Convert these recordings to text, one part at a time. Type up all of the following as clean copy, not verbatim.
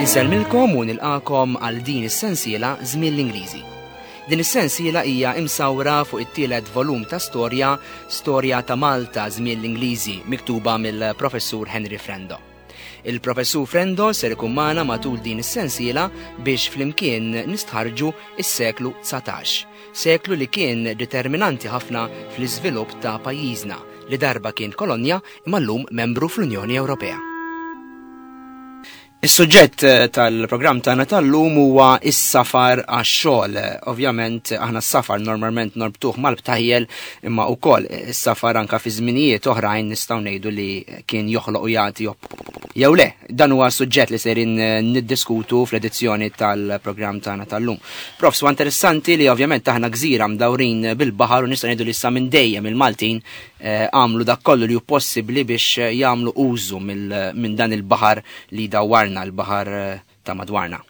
Insellmilkom u nilqakom għal din is-sensiela Żmien l-Ingliżi. Din is-sensiela hija imsawra fuq it-tielet volum ta' storja, Storja ta' Malta Żmien l-Ingliżi, miktuba mill-Professur Henry Frendo. Il-Professur Frendo ser ikun magħna matul din is-sensiela biex flimkien nistħarġu is-seklu 19, seklu li kien determinanti ħafna fl-iżvilupp ta' pajjiżna li darba kien kolonja imma llum membru fl-Unjoni Ewropea. Is-suġġett eh, tal-programm tagħna tal-lum huwa is-safar għax-xogħol. Ovvjament aħna s-safar normalment norbtuh mal-btajjel imma wkoll is-safar anka fi żminijiet oħrajn nistgħu ngħidu li kien joħloq u jagħti Jew le, dan huwa suġġett li serin eh, niddiskutu fl-edizzjoni tal-programm tagħna tal-lum. Profs, huwa interessanti li ovvjament aħna gżira mdawrin bil-baħar u nistgħu ngħidu li sa minn dejjem il-Maltin eh, għamlu dak kollu li hu possibbli biex eh, jagħmlu użu minn dan il-baħar li dawwarna, l-baħar ta' madwarna.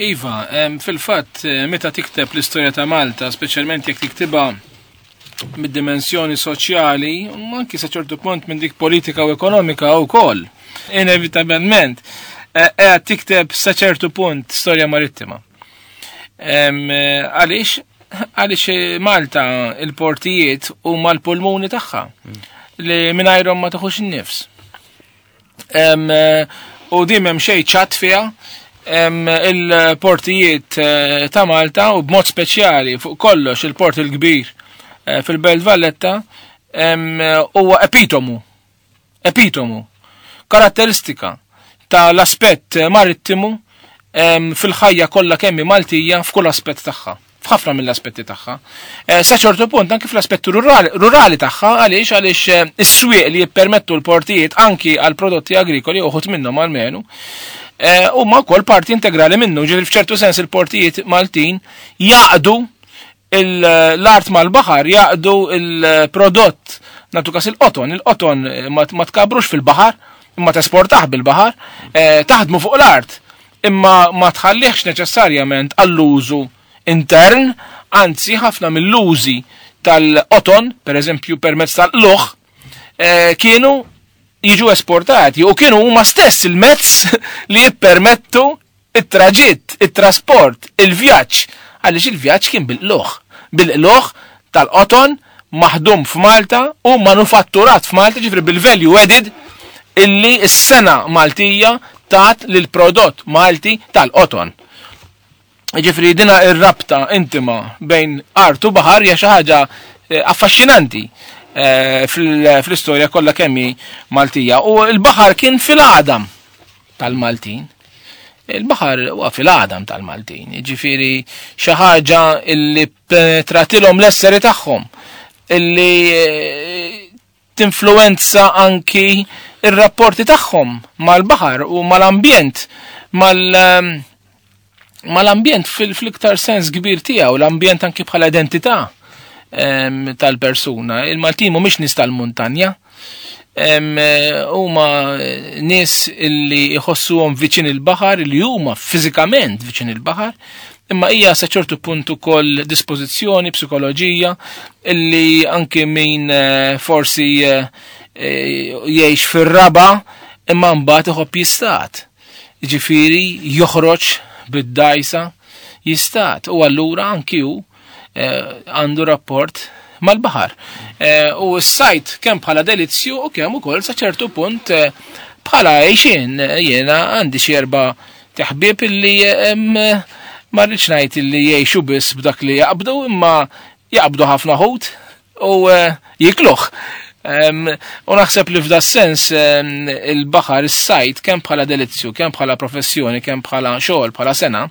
Iva, fil-fatt, eh, meta tikteb l-istorja ta' Malta, speċjalment jekk tiktibha mid-dimensjoni soċjali, anki sa ċertu punt minn dik politika u ekonomika wkoll. Inevitabilment, eh, qiegħed tikteb sa ċertu punt storja marittima. Eh, għaliex? Għaliex Malta il-portijiet huma l-pulmuni tagħha li mingħajrhom ma taħux in-nifs. Eh, u din m'hemm xejn ċatt fiha il-portijiet eh, ta' Malta u b'mod speċjali fuq kollox il-port il-kbir eh, fil-Belt Valletta huwa epitomu epitomu karatteristika tal-aspett marittimu fil-ħajja kollha kemmi Maltija f'kull aspett tagħha f'ħafna mill-aspetti tagħha. Eh, sa ċertu punt anki fl-aspetti rurali tagħha għaliex għaliex eh, is-swieq li jippermettu l-portijiet anki għal prodotti agrikoli uħut minnhom għalmenu eh, huma wkoll parti integrali minnu, ġifieri f'ċertu sens il-portijiet Maltin jaqdu l-art mal-baħar, jaqdu il-prodott natu kas il-qoton, il-qoton ma tkabrux fil-baħar, imma tesportaħ bil-baħar, taħdmu fuq l-art imma ma tħallihx neċessarjament għall-użu intern, anzi ħafna mill-użi tal-qoton, per eżempju permezz tal-luħ, eh, kienu jiġu esportati u kienu huma stess il-mezz li jippermettu it-traġitt, it-trasport, il-vjaġġ, għaliex il-vjaġġ kien bil-qluħ. Bil-qluħ tal-qoton maħdum f'Malta u manufatturat f'Malta, ġifri bil-value added illi s-sena Maltija tat lil prodott Malti tal-qoton. Ġifri dina ir-rabta intima bejn art u baħar hija xi ħaġa eh, affaxxinanti eh, fl-istorja kollha kemm Maltija. U l-baħar kien fil-għadam tal-Maltin. Il-baħar huwa fil-għadam tal-Maltin, ġifieri xi ħaġa illi penetratilhom l-esseri tagħhom illi eh, tinfluwenza anki ir-rapporti tagħhom mal-baħar u mal-ambjent mal ehm, mal-ambjent fil-iktar sens kbir tiegħu, l-ambjent anki bħala identità ehm, tal-persuna. Il-Maltin mhumiex nies tal-muntanja, ehm, huma nies illi jħossuhom viċin il-baħar, li huma fiżikament viċin il-baħar, imma hija sa ċertu punt ukoll dispożizzjoni, psikoloġija, illi anki min eh, forsi eh, eh, jgħix fir-raba imma mbagħad iħobb jistat. Ġifieri joħroġ bid-dajsa jistat u allura anki hu għandu rapport mal-baħar. U s-sajt kemm bħala delizzju u kemm ukoll sa ċertu punt bħala għejxin jiena għandi xi erba' Taħbib illi ma rridx ngħid illi jgħixu biss b'dak li jaqbdu imma jaqbdu ħafna ħut u eh, jikluh. U naħseb li f'da sens il-baħar, is-sajt, kemm bħala delizzju, kemm bħala professjoni, kemm bħala xogħol, bħala sena,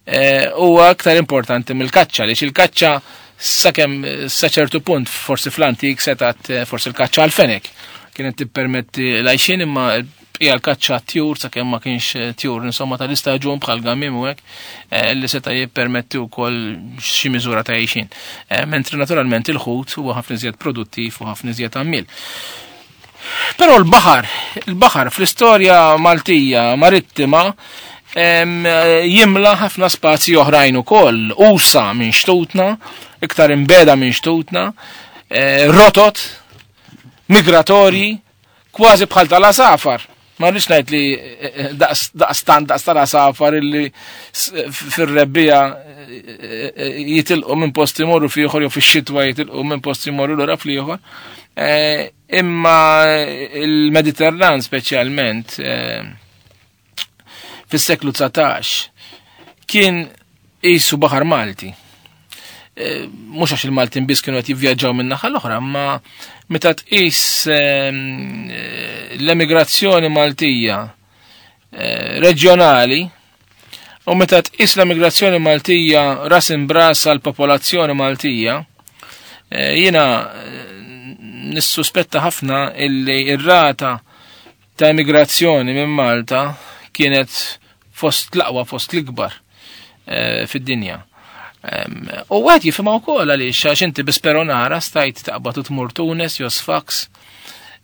eh, huwa aktar importanti mill-kaċċa, li il-kaċċa sakemm sa ċertu punt forsi fl-antik setat eh, forsi l-kaċċa għal-fenek kienet tippermetti l-għajxin imma Bqija l-kaċċa għat-tjur sakemm ma kienx eh, tjur insomma tal-istaġun bħal gamim u hekk eh, li seta' jippermetti wkoll xi miżura ta' għixin. Eh, mentri naturalment il-ħut huwa ħafna iżjed produttiv u ħafna iżjed għammil. Però l-baħar, il-baħar fl-istorja Maltija marittima jimla ħafna spazji oħrajn ukoll, usa minn xtutna, iktar imbeda minn xtutna, rotot migratorji, kważi bħal tal-asafar. Ma rridx ngħid li eh, eh, daqstant daqs tal-għasafar illi fir-rebbija eh, jitilqu minn post imorru fieħor jew fix-xitwa jitilqu minn post imorru lura fl-ieħor. Imma il-Mediterran speċjalment fis-seklu 19 kien qisu baħar Malti. Eh, mhux għax il-Maltin biss kienu qed jivvjaġġaw minn naħa l-oħra, ma meta tqis ehm, eh, l-emigrazzjoni Maltija eh, reġjonali u meta tqis l-emigrazzjoni Maltija ras imbras għal popolazzjoni Maltija, jiena nissuspetta ħafna illi ir-rata ta' emigrazzjoni minn Malta kienet fost l-aqwa, fost l-ikbar eh, fid-dinja. U għed jifima u kol għaliex għax inti bisperonara stajt taqbad u tmur Tunes, jo Sfax,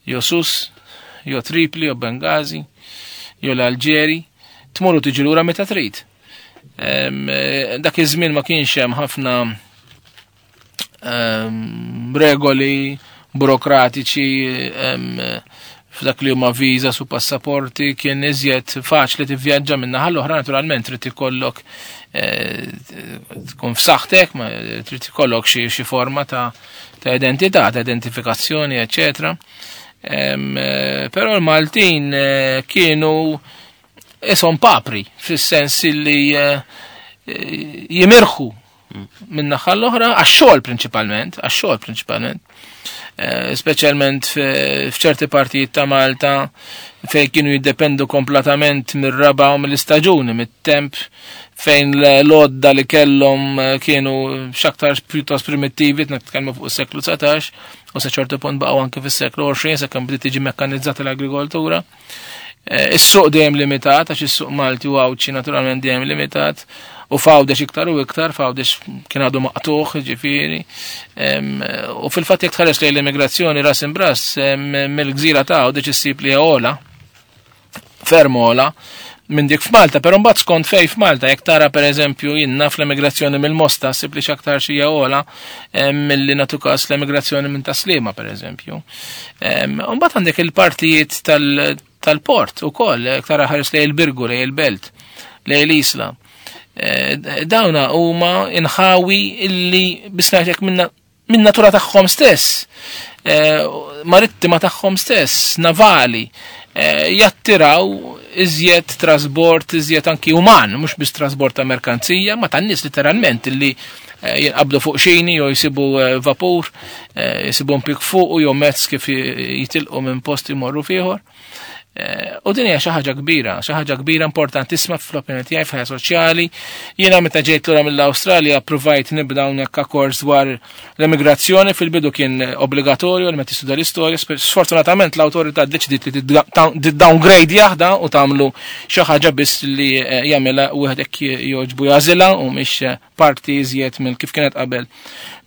jo Sus, jo Tripli, jo Bengazi, jo l-Alġeri, tmur u tiġi lura meta trid. Eh, dak iż-żmien ma kienx hemm ħafna regoli burokratiċi f'dak li huma viża su passaporti kien iżjed faċli tivvjaġġa minn naħa l-oħra naturalment trid ikollok eh, tkun f'saħħtek, ma trid ikollok xi forma ta' ta' identità, ta' identifikazzjoni, eċetera. Eh, però l-Maltin eh, kienu ishom papri, fis-sens li jimirħu minn naħa l-oħra, għax-xogħol prinċipalment, għax-xogħol prinċipalment. Eh, speċjalment f'ċerti partijiet ta' Malta fejn kienu jiddependu kompletament mir-raba u mill-istaġuni, mit-temp fejn l-odda li kellhom eh, kienu x'aktar pjuttost primittivi, nitkellmu fuq is-seklu 19, u sa ċertu punt baqgħu anke fis-seklu 20 sakemm bdiet tiġi mekkanizzata l-agrikoltura. Eh, is-suq dejjem limitat, għax is-suq Malti u Għawdxi naturalment dejjem limitat, u f'Għawdex iktar u iktar, f'Għawdex kien għadu maqtuħ, ġifieri. U fil-fatt jekk tħares lejn l-immigrazzjoni ras imbras mill-gżira ta' Għawdex issib li għola, ferm għola, minn dik f'Malta, però mbagħad skont fej f'Malta, jekk tara pereżempju jien naf l-emigrazzjoni mill-Mosta ssib li x'aktar xi għola milli nagħtu każ l-emigrazzjoni minn Taslima pereżempju. Mbagħad għandek il-partijiet tal-port ukoll, jekk tara ħares lejn il-Birgu, lejn il-Belt, lejn l-Isla. Eh, dawna huma inħawi illi bisnatek minna minn natura tagħhom stess, eh, marittima tagħhom stess, navali, eh, jattiraw iżjed trasbord, iżjed anki uman, mhux biss trasbord ta' merkanzija, ma tan-nies literalment illi eh, jinqabdu fuq xini jew jsibu vapur, jsibu mpik fuq u jew mezz kif jitilqu minn post imorru fieħor. Eh, u din hija xi ħaġa kbira, xi ħaġa kbira importantissima fl-opinjoni tiegħi f'ħajja soċjali. Jiena meta ġejt lura mill-Awstralja ppruvajt nibda hawnhekk kors dwar l-emigrazzjoni fil-bidu kien obbligatorju li meta tistudja l-istorja. Sfortunatament l-awtorità ddeċidiet li tiddowngrade jaħda u tagħmlu xi ħaġa biss li eh, jagħmilha wieħed hekk jogħġbu jażilha u mhix eh, parti iżjed mill kif kienet qabel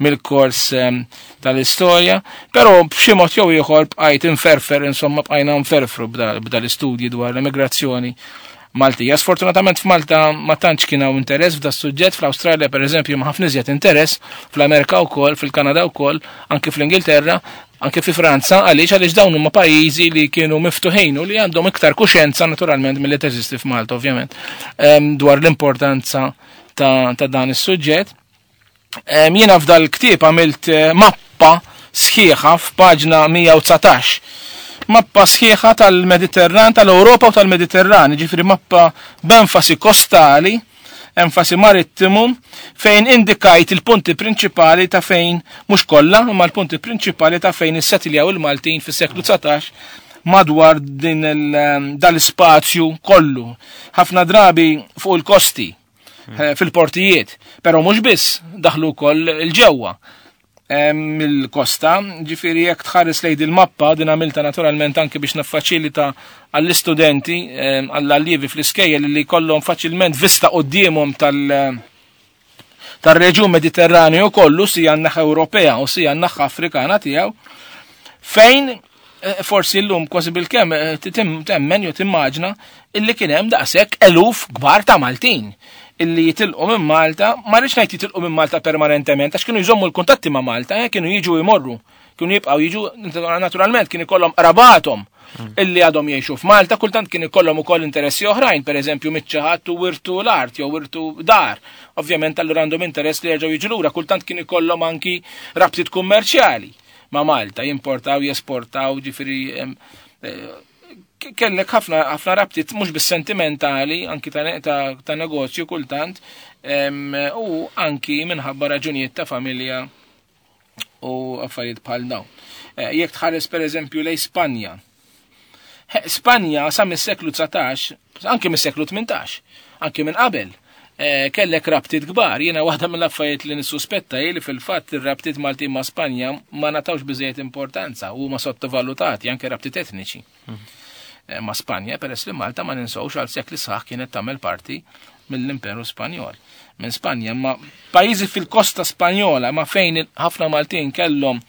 mill-kors ehm, tal-istorja, però b'xi mod jew ieħor bqajt inferfer, insomma bqajna nferfru b'da l-istudji dwar l-emigrazzjoni Maltija. Sfortunatament f'Malta ma tantx kien hawn interess f'da suġġett, fl-Awstralja pereżempju ma ħafna iżjed interess, fl-Amerika wkoll, fil-Kanada wkoll, anke fl-Ingilterra, anke fi Franza, għaliex għaliex dawn huma pajjiżi li kienu miftuħin u li għandhom iktar kuxjenza naturalment milli teżisti f'Malta ovvjament ehm, dwar l-importanza ta', ta dan is-suġġett. Jiena f'dal ktieb għamilt eh, mappa sħiħa f'paġna 119. Mappa sħiħa tal-Mediterran, tal-Ewropa u tal-Mediterran, ġifri mappa b'enfasi kostali, enfasi marittimu, fejn indikajt il-punti prinċipali ta' fejn, mhux kollha, imma l-punti prinċipali ta' fejn issetiljaw il-Maltin fis-seklu 19 madwar din dal-ispazju kollu. Ħafna drabi fuq il-kosti eh, fil-portijiet, però mhux biss daħlu wkoll il-ġewwa mill-kosta, ġifiri jekk tħares lejn il-mappa din għamilta naturalment anke biex naffaċilita għall-istudenti, għall-allievi fl-iskejjel li kollhom faċilment vista quddiemhom tal- tar-reġjun Mediterranju kollu sija n-naħa Ewropea u sija n-naħa Afrikana tiegħu fejn eh, forsi llum kważi bil-kemm eh, temmen jew timmaġna illi kien hemm daqshekk eluf kbar ta' Maltin illi jitilqu minn Malta, ma rridx ngħid jitilqu minn Malta permanentement għax kienu jżommu l-kuntatti ma' Malta, eh, kienu jiġu jmorru, kienu jibqgħu jiġu naturalment kien ikollhom qrabathom. illi għadhom jgħixu f'Malta, kultant kien ikollhom ukoll interessi oħrajn, pereżempju miċ-ċaħat u wirtu l-art jew wirtu dar. Ovvjament allura għandhom interess li jerġgħu jiġu lura, kultant kien ikollhom anki rabtiet kummerċjali ma' Malta, jimportaw, jesportaw, ġifieri eh, kellek ħafna ħafna rabtiet mhux bis sentimentali anki ta', ta, ta negozju kultant u anki minħabba raġunijiet ta' familja u affarijiet bħal dawn. Eh, jekk tħares pereżempju lej Spanja. Spanja sa mis-seklu 19, anki mis-seklu 18, anki minn qabel, eh, kellek rabtiet kbar. Jiena waħda mill-affarijiet li nissuspetta hi li fil-fatt ir-rabtiet Maltin ma' Spanja ma natawx biżejjed importanza u huma sottovalutati anke rabtiet etniċi. Eh, ma' Spanja peress li Malta ma ninsewx għal sekli sħaħ kienet tagħmel parti mill-Imperu Spanjol. Minn Spanja, ma pajjiżi fil-kosta Spanjola ma fejn ħafna Maltin kellhom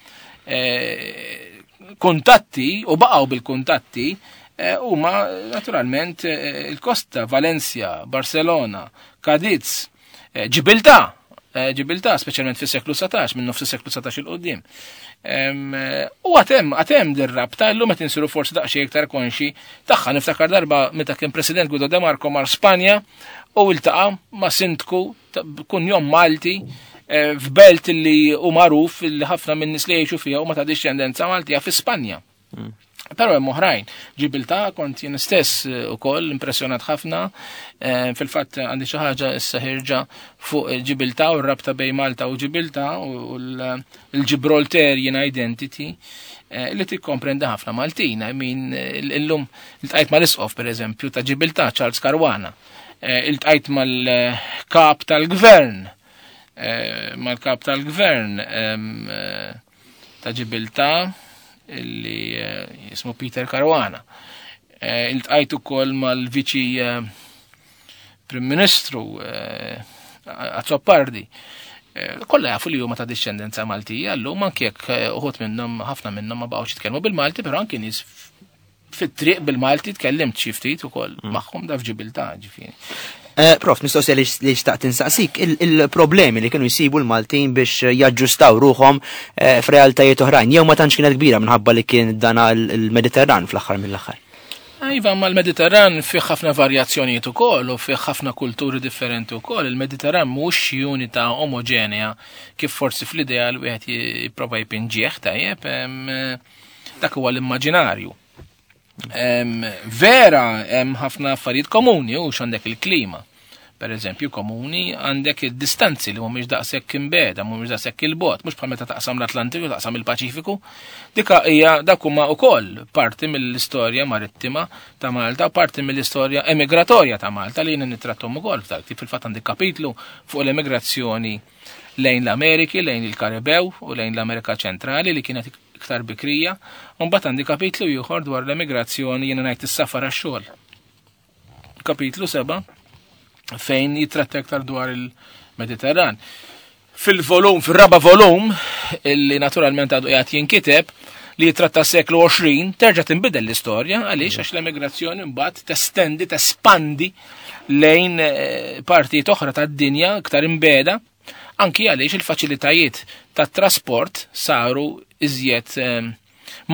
eh, kuntatti u baqgħu bil-kuntatti eh, huma naturalment il-kosta Valencia, Barcelona, Cadiz, Ġibiltà, Ġibiltà, speċjalment fis-seklu 19, minn nofs is-seklu 19 il qudiem. U għatem, għatem dir-rabta, illum qed insiru forsi daqsxejn iktar konxi tagħha. Niftakar darba meta kien President Guido De Marco mar Spanja u iltaqa' ma' sindku kunjom Malti eh, f'belt li hu magħruf li ħafna minn nies li jgħixu fiha huma ta' dixxendenza Maltija fi Spanja. Però hemm oħrajn. Ġibilta kont jien stess eh, ukoll impressjonat ħafna. Eh, fil-fatt għandi xi ħaġa issa ħirġa fuq Ġibilta u r-rabta bejn Malta u Ġibilta u l-Gibraltarian identity eh, li tikkomprendi ħafna Maltin. I mean, illum iltqajt mal-isqof pereżempju ta' Ġibilta Charles Caruana. Iltqajt mal-kap tal-gvern mal-kap tal-gvern ta' Ġibilta illi eh, jismu Peter Caruana. Eh, iltqajt ukoll mal-viċi eh, Prim Ministru Azzopardi. Kollha jafu li huma ta' discendenza Maltija, llum anke jekk uħud minnhom ħafna minnhom ma baqgħux jitkellmu bil-Malti, però anke nies fit-triq bil-Malti tkellimt xi ftit ukoll mm. magħhom da f'Ġibiltà ġifieri. Eh, prof, mistoqsija li xtaqt insaqsik, il-problemi li kienu jsibu l-Maltin biex jaġġustaw ruħhom eh, f'realtajiet oħrajn, jew ma tantx kienet kbira minħabba li kien dana l-Mediterran fl-aħħar mill-aħħar. Iva, ma l-Mediterran fih ħafna varjazzjonijiet ukoll u fih ħafna kulturi differenti ukoll. Il-Mediterran mhux xi unità omogenea kif forsi fl-ideal wieħed jipprova jpinġih tajjeb. Dak huwa l-immaġinarju. Vera hemm ħafna affarijiet komuni u x'għandek il-klima. Per eżempju, komuni għandek id-distanzi li mhumiex daqshekk imbeda, mhumiex daqshekk il-bot, mhux bħal meta taqsam l-Atlantiku, taqsam il-Paċifiku. Dika hija dak huma wkoll parti mill-istorja marittima ta' Malta, parti mill-istorja emigratorja ta' Malta li jiena nittrattom ukoll f'dak. Fil-fatt għandi kapitlu fuq l-emigrazzjoni lejn l-Ameriki, lejn il-Karibew u lejn l-Amerika Ċentrali li kienet iktar bikrija, u mbagħad għandi kapitlu ieħor dwar l-emigrazzjoni jiena ngħid is-safar għax-xogħol. Kapitlu 7 fejn jitratta iktar dwar il-Mediterran. Fil-volum, fil-raba volum, illi naturalment għadu qiegħed jinkiteb, li jitratta seklu 20, terġa' tinbidel l-istorja, għaliex għax l-emigrazzjoni mbagħad testendi, tespandi lejn eh, partijiet oħra tad-dinja iktar imbeda Anki għaliex il-faċilitajiet tat-trasport saru iżjed ehm,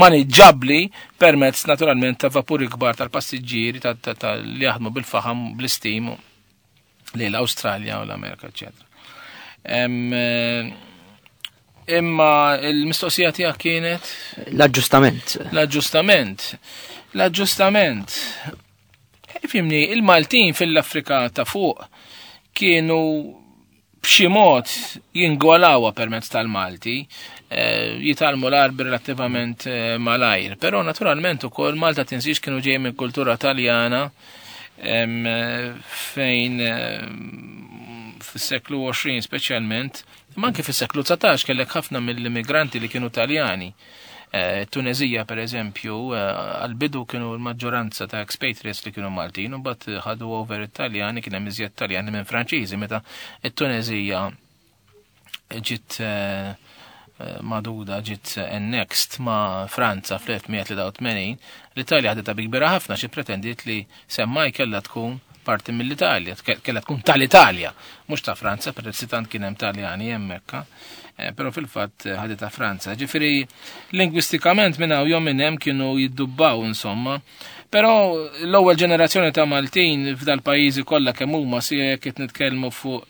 maniġġabbli permezz naturalment ta' vapuri kbar tal-passiġġieri li jaħdmu bil-faħam bl-istim li l-Awstralja u l-Amerika, eċetera. Eh, imma il-mistoqsija tiegħek kienet? L-aġġustament. L-aġġustament. L-aġġustament. Fimni, il-Maltin fil-Afrika ta' fuq kienu b'xi mod jingolawha permezz tal-Malti, eh, jitalmu l-Arbi relattivament eh, malajr. Però naturalment ukoll Malta tinsiex kienu ġej minn kultura Taljana eh, fejn fis-seklu 20 speċjalment, imma anke fis-seklu 19 kellek ħafna mill-immigranti li kienu Taljani. Eh, Tunezija per eżempju, eh, għal-bidu kienu l-maġġoranza ta' expatriates li kienu Maltin, u bat ħadu over Italjani, kien hemm iżjed Taljani minn Franċiżi, meta it-Tunezija ġiet eh, maduda ġiet annexed ma' Franza fl-1983, l-Italja ħaditha bi kbira ħafna xi pretendiet li semmaj kellha tkun parti mill-Italja, kellha tkun tal-Italja, mhux ta' Franza, peress li tant kien hemm Taljani hemmhekk. Eh, però fil-fatt eh, ħaditha Franza. Ġifieri lingwistikament minn hawn jew minn hemm kienu jiddubbaw insomma. Però l-ewwel ġenerazzjoni ta' Maltin f'dal-pajjiżi kollha kemm huma si jekk qed nitkellmu fuq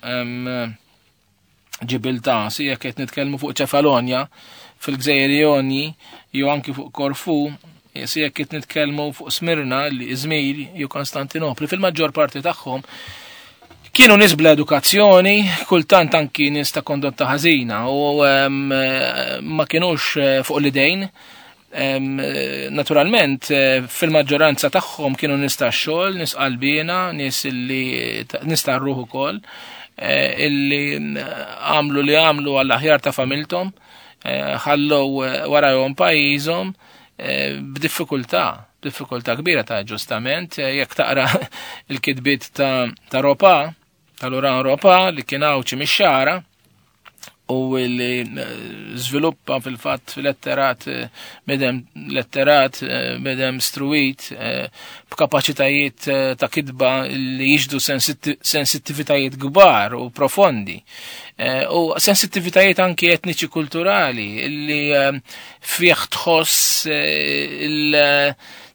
Ġibiltà, si jekk qed nitkellmu fuq Ċefalonja fil-Gżejjer Jonji jew anki fuq Korfu, si jekk qed nitkellmu fuq Smirna, li Izmir jew Konstantinopli, fil-maġġor parti tagħhom kienu nies bla edukazzjoni, kultant anki nies ta' kondotta ħażina u ma kienux eh, fuq l-idejn. Naturalment, eh, fil-maġġoranza tagħhom kienu nies ta' xogħol, nies qalbina, nies li nies ta' ruħ ukoll, eh, illi għamlu li għamlu għall-aħjar ta' familthom, ħallew warajhom pajjiżhom b'diffikultà, diffikultà kbira ta' ġustament, jekk taqra il-kitbiet ta', ta Ropa, ta' Laurent Ropa li kien għawċi mix-xara, u li żviluppa fil-fatt letterat medem letterat medem struit b'kapaċitajiet ta' kitba li jixdu sensittivitajiet kbar u profondi. U sensittivitajiet anki etniċi kulturali li fih tħoss eh,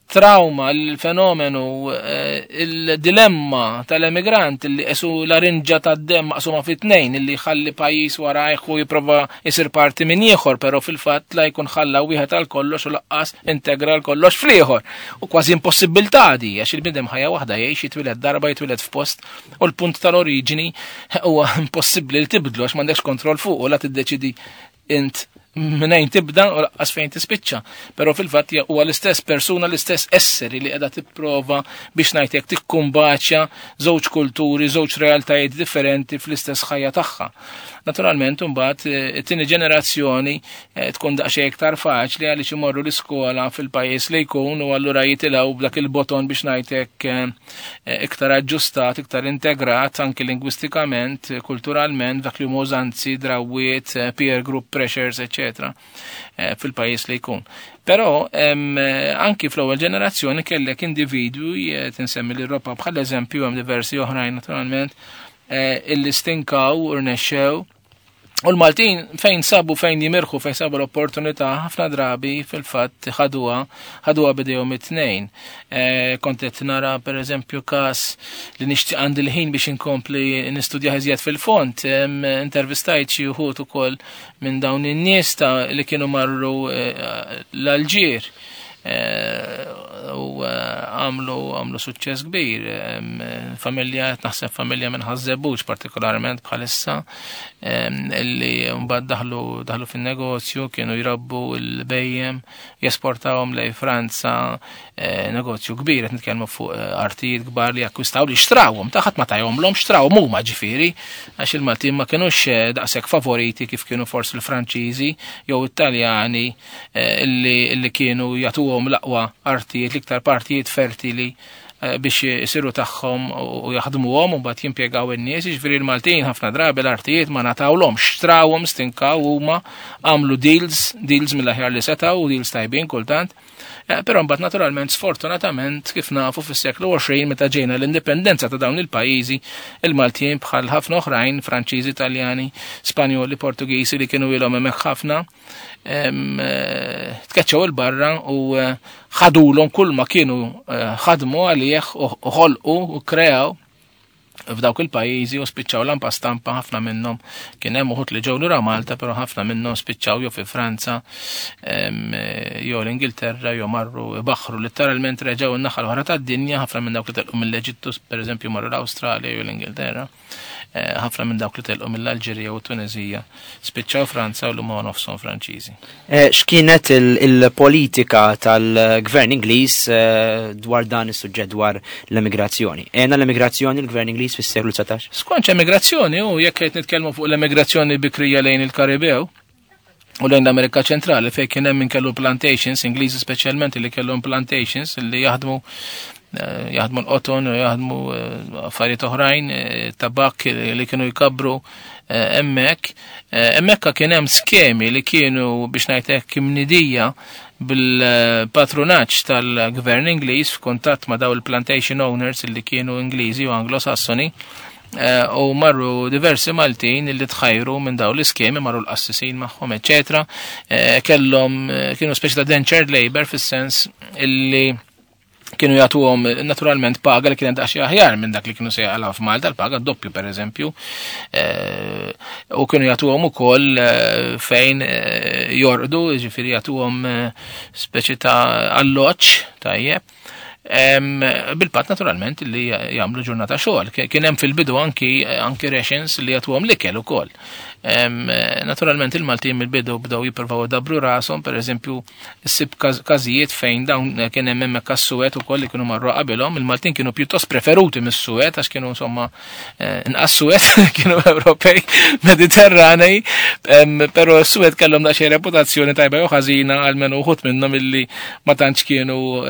il-trauma, il-fenomenu, eh, il-dilemma tal-emigrant li esu larinġa tad-dem maqsuma fit tnejn li jħalli pajjiż warajh u jipprova jsir parti minn ieħor, però fil-fatt la jkun ħalla wieħed għal kollox u laqqas integra l kollox fl-ieħor. U kważi impossibilità di għax il-bniedem ħajja waħda jgħix jitwieled darba jitwieled f'post u l-punt tal-oriġini huwa impossibbli li tibdlu għax m'għandekx kontroll fuq u la tiddeċidi int minnejn tibda u laqqas fejn tispiċċa. Però fil-fatt huwa l-istess persuna, l-istess esseri li qiegħda tipprova biex ngħidlek tikkumbaċja żewġ kulturi, żewġ realtajiet differenti fl-istess ħajja tagħha. Naturalment imbagħad eh, it-tieni ġenerazzjoni eh, tkun daqsxejn iktar faċli għaliex imorru l-iskola fil-pajjiż li jkun u allura jitilgħu b'dak il-boton biex ngħidlek eh, iktar aġġustat, iktar integrat anki lingwistikament, kulturalment, dak li huma użanzi, drawwiet, eh, peer group pressures, eccetera, eh, fil-pajjiż li jkun. Però eh, anki fl-ewwel ġenerazzjoni kellek individwi, tinsemmi l-Europa bħal eżempju hemm diversi oħrajn naturalment, illi stinkaw u rnexxew U l-Maltin fejn sabu fejn jimirħu fejn sabu l-opportunità ħafna drabi fil-fatt ħaduha ħaduha bidejhom it-tnejn. E, kont qed nara pereżempju każ li nixtieq għandi l-ħin biex inkompli nistudja iżjed fil-fond, intervistajt xi wħud ukoll minn dawn in-nies ta' li kienu marru e, l-Alġier. Eh, u eh, għamlu għamlu suċċess kbir. Familja, naħseb familja minn Ħaż-Żebbuġ partikolarment bħalissa illi mbagħad daħlu daħlu fin-negozju, kienu jrabbu l-bejjem, jesportawhom lej Franza, eh, negozju kbir, qed nitkellmu fuq artijiet kbar li akkwistaw li xtrawhom, ta' ħadd ma tajhomlhom xtrawhom huma ġifieri, għax il-Maltin ma kinux daqshekk favoriti kif kienu forsi l-Franċiżi jew it-Taljani Eh, illi kienu jagħtuhom l-aqwa artijiet, l-iktar partijiet fertili eh, biex isiru tagħhom u jaħdmuhom u mbagħad jimpjegaw in-nies, jiġifieri l-Maltin ħafna drabi l-artijiet ma natawlhomx, xtrawhom, stinkaw huma għamlu deals, deals mill-aħjar li setgħu u deals tajbin kultant. Eh, però mbagħad naturalment sfortunatament kif nafu fis-seklu 20 meta ġejna l-indipendenza ta' dawn il-pajjiżi, il-Maltin bħal ħafna oħrajn, Franċiżi, Taljani, Spanjoli, Portugiżi li kienu ilhom hemmhekk ħafna, eh, tkeċċew il-barra u eh, ħadulhom kull ma kienu ħadmu għalih u ħolqu u kreaw f'dawk il-pajjiżi u spiċċaw lampa stampa ħafna minnhom kien hemm uħud li ġew lura Malta, però ħafna minnhom spiċċaw jew fi Franza jew l-Ingilterra jew marru baħru letteralment reġgħu n-naħa l-oħra tad-dinja, ħafna minn dawk li telqu mill-Eġittu pereżempju marru l-Awstralja jew l-Ingilterra. Eh, ħafna minn dawk li telqu mill-Alġerija u Tunezija spiċċaw Franza u l-huma nofshom Franċiżi. Eh, x'kienet il-politika tal-Gvern Ingliż eh, dwar dan is-suġġett dwar l-emigrazzjoni? Ena l-emigrazzjoni l-Gvern Ingliż fis-seklu 19? Skont emigrazzjoni u jekk qed nitkellmu fuq l-emigrazzjoni bikrija lejn il-Karibew, u lejn l-Amerika ċentrali fejn kien hemm min kellu plantations, Ingliżi speċjalment li kellhom plantations li jaħdmu eh, jaħdmu l-qoton u jaħdmu eh, affarijiet oħrajn, eh, tabak li kienu jkabru hemmhekk. Hemmhekk kien hemm skemi li kienu biex ngħid hekk imnidija bil-patrunaġġ tal-gvern Ingliż f'kuntatt ma' daw il-plantation owners li kienu Ingliżi u Anglo-Sassoni. U marru diversi Maltin li tħajru minn daw l-iskemi, marru l-qassisin magħhom, eċetera. Kellhom kienu speċi ta' dentured labor fis-sens illi kienu jagħtuhom naturalment paga li kienet daqsxejn aħjar minn dak li kienu se jaqalgħu f'Malta, l-paga doppju pereżempju. U kienu jagħtuhom ukoll fejn jorqdu, jiġifieri jagħtuhom speċi ta' alloġġ tajjeb. Bil-pat naturalment li jagħmlu ġurnata xogħol. Kien hemm fil-bidu anki rations li jagħtuhom l-ikel ukoll. Naturalment il-Maltin mill-bidu bdew jippruvaw idabru rashom, pereżempju ssib każijiet fejn dawn kien hemm hemmhekk għas-Suwed ukoll li kienu marru qabilhom, il-Maltin kienu pjuttost preferuti mis-Suwed għax kienu insomma inqas Suwed, kienu Ewropej Mediterranej, però s-Suwed kellhom daqsxejn reputazzjoni tajba jew ħażina għalmenu uħud minnhom illi ma tantx kienu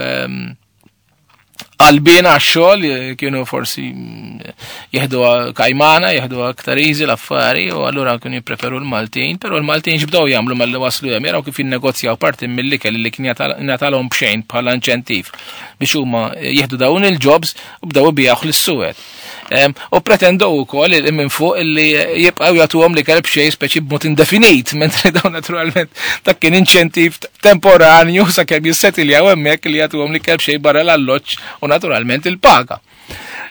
qalbin għax-xogħol, kienu forsi jieħdu kajmana, jieħdu aktar easy l-affari, u allura kienu jippreferu l-Maltin, però l-Maltin x'bdew jagħmlu malli waslu hemm, jaraw kif jinnegozjaw parti mill-ikel li kien jingħatalhom b'xejn bħala inċentiv biex huma jieħdu dawn il-jobs u bdew ibigħuh lis-Suwed. U pretendew ukoll minn fuq illi jibqgħu jagħtuhom l-ikel b'xejn speċi b'mod indefinit, mentri dawn naturalment dak kien inċentiv temporanju sakemm jissetiljaw hemmhekk li jagħtuhom l-ikel b'xejn barra l-alloġġ u naturalment il-paga.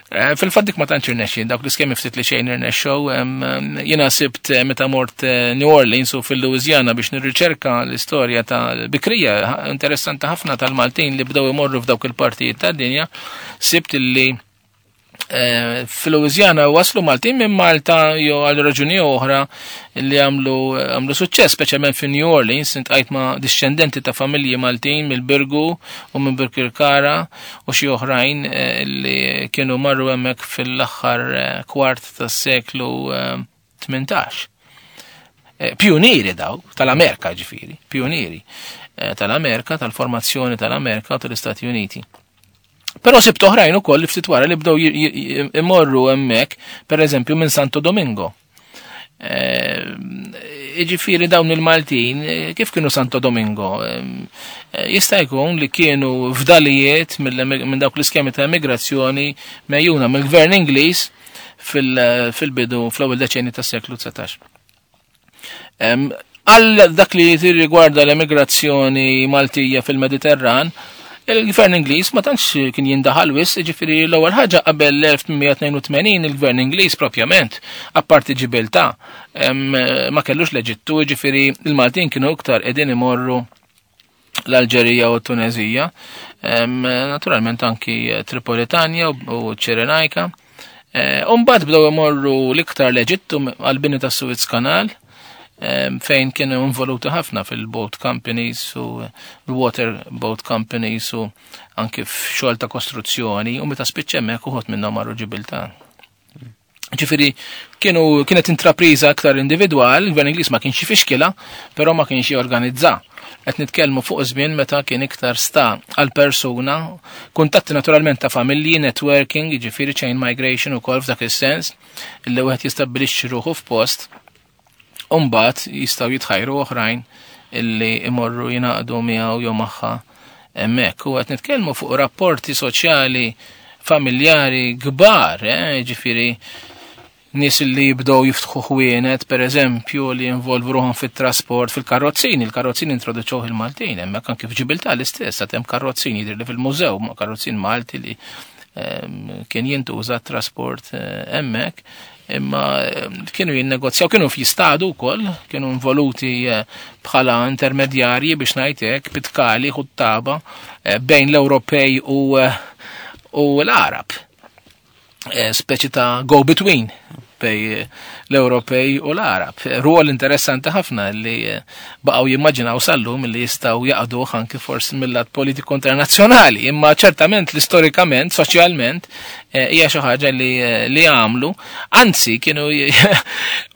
Fil-fatt dik ma tantx irnexxin, dawk l-iskemi ftit li xejn irnexxew, jiena sibt meta mort New Orleans u fil-Louisiana biex nirriċerka l-istorja ta' bikrija interessanti ħafna tal-Maltin li bdew imorru f'dawk il-partijiet tad-dinja, sibt illi fil-Louisiana waslu Maltin minn Malta jew għal raġuni oħra li għamlu suċċess, speċjalment fi New Orleans, intqajt ma' discendenti ta' familji Maltin mill-Birgu u minn Birkirkara u xi oħrajn li kienu marru hemmhekk fil-aħħar kwart tas-seklu 18. Pionieri daw tal-Amerika ġifieri, pionieri tal-Amerika, tal-formazzjoni tal-Amerika u tal-Istati Uniti. Però sibt oħrajn ukoll li ftit wara li bdew imorru hemmhekk, pereżempju minn Santo Domingo. Jiġifieri dawn il-Maltin, kif kienu Santo Domingo? Jista' jkun li kienu fdalijiet minn dawk l-iskemi ta' immigrazzjoni mejjuna mill-gvern Ingliż fil-bidu fl-ewwel deċenni tas-seklu 19. Għal dak li riguarda l-emigrazzjoni Maltija fil-Mediterran, il-gvern Ingliż ma tantx kien jindaħal wis, jiġifieri l-ewwel ħaġa qabel l-1882 il-gvern Ingliż propjament, apparti Ġibiltà, ma kellux l-Eġittu, jiġifieri il-Maltin kienu iktar qegħdin imorru l-Alġerija u t-Tunezija, naturalment anki Tripolitanja u Ċirenajka. U mbagħad bdew imorru l-iktar l-Eġittu għall-bini tas-Suez Canal, fejn kienu involuti ħafna fil-boat companies u l-water boat companies u anki f'xogħol ta' kostruzzjoni, u meta spiċċa hemmhekk uħud minnhom marru Ġibiltà. Ġifieri kienet intrapriża aktar individwal, il-gvern Ingliż ma kienx jifixkilha, però ma kienx jorganizza. Qed nitkellmu fuq żmien meta kien iktar sta għal persuna, kuntatti naturalment ta' familji, networking, jiġifieri chain migration ukoll f'dak is-sens, illi wieħed jistabbilixxi ruħu f'post, u mbagħad jistgħu jitħajru oħrajn illi imorru jingħaqdu miegħu jew magħha hemmhekk. U qed nitkellmu fuq rapporti soċjali familjari kbar, jiġifieri nies li jibdew jiftħu ħwienet, per eżempju, li jinvolvu ruħhom fit-trasport, fil-karrozzini, il-karrozzini introduċewh il-Maltin, hemmhekk anke f'Ġibiltà l-istess, għad hemm karrozzini jidher li fil-mużew, ma' karrozzin Malti li kien jintuża t-trasport hemmhekk, imma kienu jinnegozjaw, kienu f'jistadu wkoll, kienu involuti bħala intermedjarji biex ngħid hekk, pitkali, ħuttaba bejn l-Ewropej u l-Arab. Speċi ta' go-between bej l-Ewropej u l-Arab. Ruol interessanti ħafna li baqgħu jimmaġinaw sal-lum li jistgħu jaqduh anki forsi mill-lat politiku internazzjonali, imma ċertament li storikament, soċjalment hija xi ħaġa li għamlu, anzi kienu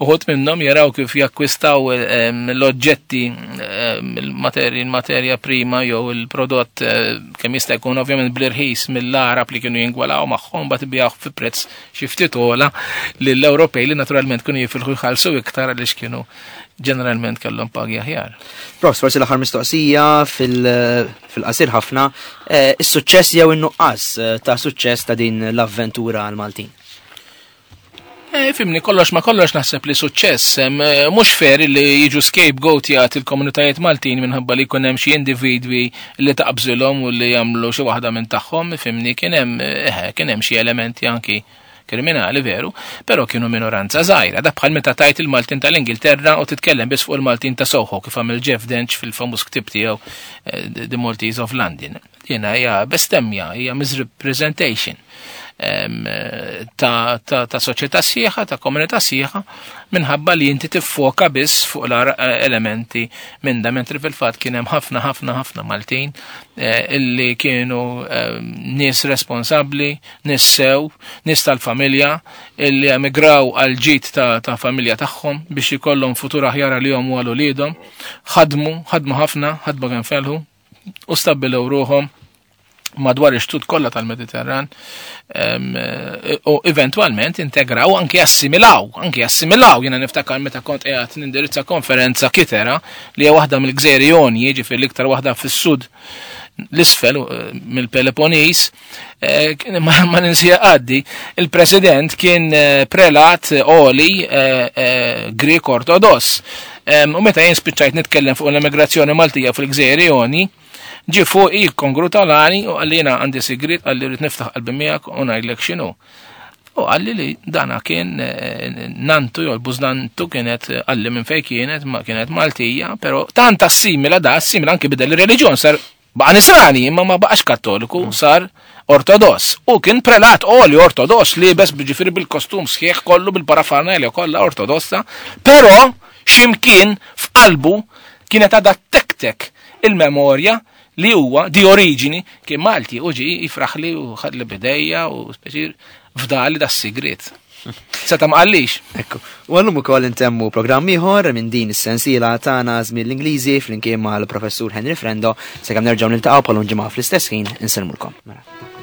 uħud minnhom jaraw kif jakkwistaw l-oġġetti il-materja prima jew il-prodott kemm jista' jkun ovvjament bl-irħis mill-Arab li kienu jingwalaw magħhom, bagħad ibigħuh fi prezz xi ftit ogħla lill-Ewropej li naturalment kienu jifilħu jħallsu iktar għaliex kienu ġeneralment kellhom pagi aħjar. Prof, forsi l-aħħar mistoqsija fil-qasir ħafna, is-suċċess jew in-nuqqas ta' suċċess ta' din l-avventura għal Maltin? Eh, fimni, kollox ma kollox naħseb li suċċess, eh, mhux fair li jiġu scapegoat il-komunitajiet Maltin minħabba li jkun hemm xi individwi li taqbżilhom u li jagħmlu xi waħda minn tagħhom, fimni kien hemm eh, kien hemm xi elementi anki kriminali veru, però kienu minoranza żgħira. Da bħal meta tajt il-Maltin tal-Ingilterra u titkellem biss fuq il-Maltin ta' Soho kif għamel Jeff Dench fil-famuż ktib tiegħu The Maltese of London. Jiena hija bestemmja, hija misrepresentation ta', ta, ta soċjetà sħiħa, ta' komunità sħiħa, minħabba li inti tiffoka biss fuq l elementi minn da, mentri fil-fatt kien hemm ħafna ħafna ħafna Maltin illi kienu nies responsabbli, nies sew, nies tal-familja, illi emigraw għal ġid ta', ta familja tagħhom biex ikollhom futur aħjar għalihom u għal uliedhom. Ħadmu, ħadmu ħafna, ħadmu kemm felħu, u stabbilew ruħhom madwar ix-xtut kollha tal-Mediterran u eventwalment integraw anki assimilaw, anki assimilaw. Jiena niftakar meta kont qiegħed nindirizza konferenza Kitera li hija waħda mill-Gżejjer Jonji, jiġifieri l-iktar waħda fis-sud l-isfel mill-Peloponnes, ma ninsija għaddi, il-president kien prelat oli Grek Ortodoss. U meta jien spiċċajt nitkellem fuq l-immigrazzjoni Maltija fil-Gżejjer Joni, ġi fuq jikkongratulani u qalli jiena għandi sigriet, qalli rrid niftaħ qalbi miegħek u ngħidlek x'inhu. U qalli li dana kien nantu jew l-bużnantu kienet qalli minn fejn kienet, ma kienet Maltija, però tant assimila da assimila anki bidel ir-reliġjon sar baqa' nisrani imma ma baqax kattoliku, sar ortodoss. U kien prelat oli ortodoss liebes ġifieri bil-kostum sħiħ kollu bil-parafarnelja kollha ortodossa, però x'imkien f'qalbu kienet għadha tektek il-memorja li huwa di oriġini kien Malti u ġi jifraħli u ħadli bidejja u speċi fdali da sigriet. Seta ma qallix. Ekku. U għallum ukoll intemmu programm ieħor minn din is-sensiela tagħna żmien l-Ingliżi flimkien mal-professur Henry Frendo sakemm nerġgħu niltaqgħu bħal ġimgħa fl-istess ħin insellmulkom. Mela.